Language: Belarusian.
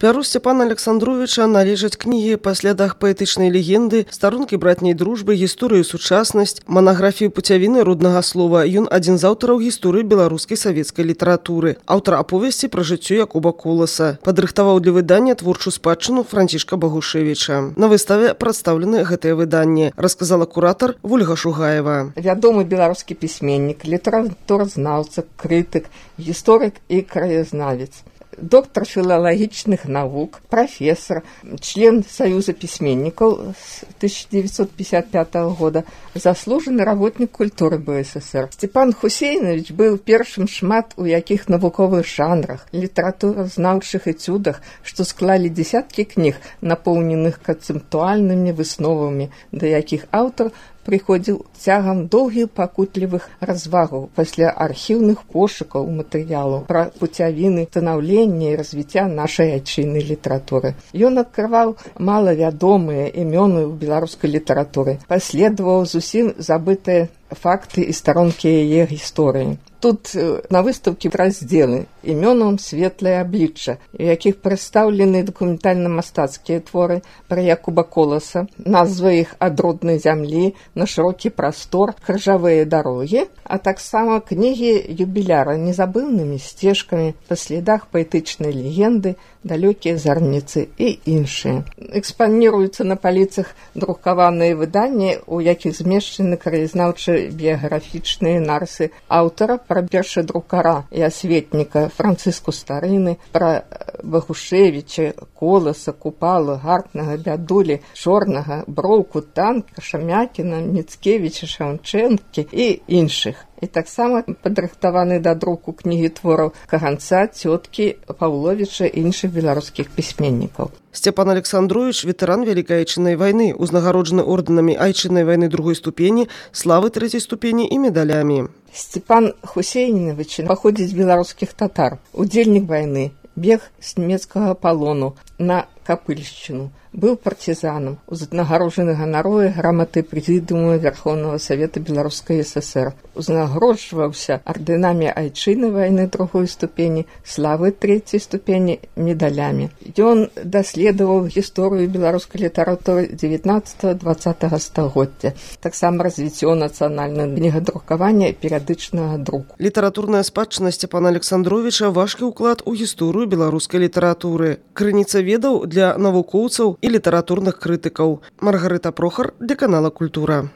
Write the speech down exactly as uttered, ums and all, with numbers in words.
Пяру Сцяпана Александровича належаць кнігі па слядах паэтычнай легенды, старонкі братняй дружбы, гісторыю сучаснасць, манаграфію пуцявіны роднага слова. Ён адзін з аўтараў гісторыі беларускай савецкай літаратуры. Аўтар аповесці пра жыццё Якуба Коласа. Падрыхтаваў для выдання творчую спадчыну Францішка Багушевіча. На выставе прадстаўлены гэтыя выданні, расказала куратар Вольга Шугаева. Вядомы беларускі пісьменнік, літаратуразнаўца, крытык, гісторык і краязнавец. Доктор філалагічных навук, профессор, член Союза письменников с тысяча девятьсот пятьдесят пятого года, заслуженный работник культуры БССР. Степан Хусейнович был першым шмат у якіх навуковых жанрах, літаратуразнаўчых эцюдах, што склалі десяткі кніг, напоўненых канцэптуальнымі высновамі, да якіх аўтар прыходзіў цягам доўгіх пакутлівых развагаў пасля архіўных пошукаў матэрыялаў пра пуцявіны станаўлення і развіцця нашай айчыннай літаратуры. Ён адкрываў малавядомыя імёны ў беларускай літаратуры, паследаваў зусім забытыя факты і старонкі яе гісторыі. Тут на выставке раздзелы імёнам светлае аблічча, у якіх прадстаўлены дакументальна-мастацкія творы пра Якуба Коласа, назва іх ад роднай зямлі на шырокі прастор, крыжавыя дарогі, а таксама кнігі юбіляра незабыўнымі сцежкамі па слядах паэтычнай легенды, далёкія зарніцы і іншыя. Экспаніруюцца на паліцах друкаваныя выданні, у якіх змешчаны краязнаўчыя біяграфічныя нарысы аўтара пра першадрукара і асветніка Францыску Старыны, пра Багушевіча, Коласа, Купала, Гартнага, Бядулі, Чорнага, Броўку, Танка, Шамякіна, Міцкевіча, Шаўчэнкі і іншых. І таксама падрыхтаваны да друку кнігі твораў Каганца, Цёткі, Паўловіча і іншых беларускіх пісьменнікаў. Сцяпан Александрович – ветэран Вялікай Айчыннай вайны, узнагароджаны ордэнамі Айчыннай вайны другой ступені, славы трэцяй ступені і медалямі. Степан Хусейнович паходзіць з беларускіх татар, удзельнік вайны, бег з нямецкага палону на Капыльшчыну. Быў партизаном, узнагароджаны ганаровай граматы Прэзідыума Верховного Совета Беларускай ССР. Узнагароджваўся ордэнамі Айчыннай вайны другой ступені, славы трэцяй ступені, медалямі. Ён даследаваў гісторыю беларускай літаратуры дзевятнаццатага-дваццатага стагоддзя, таксама развіццё нацыянальнага кнігадрукавання і перыядычнага друку. Літаратурная спадчына Сцяпана Александровича – важкі ўклад у гісторыю беларускай літаратуры. Крыніца ведаў для навукоўцаў і літаратурных крытыкаў. Маргарыта Прохар для канала «Культура».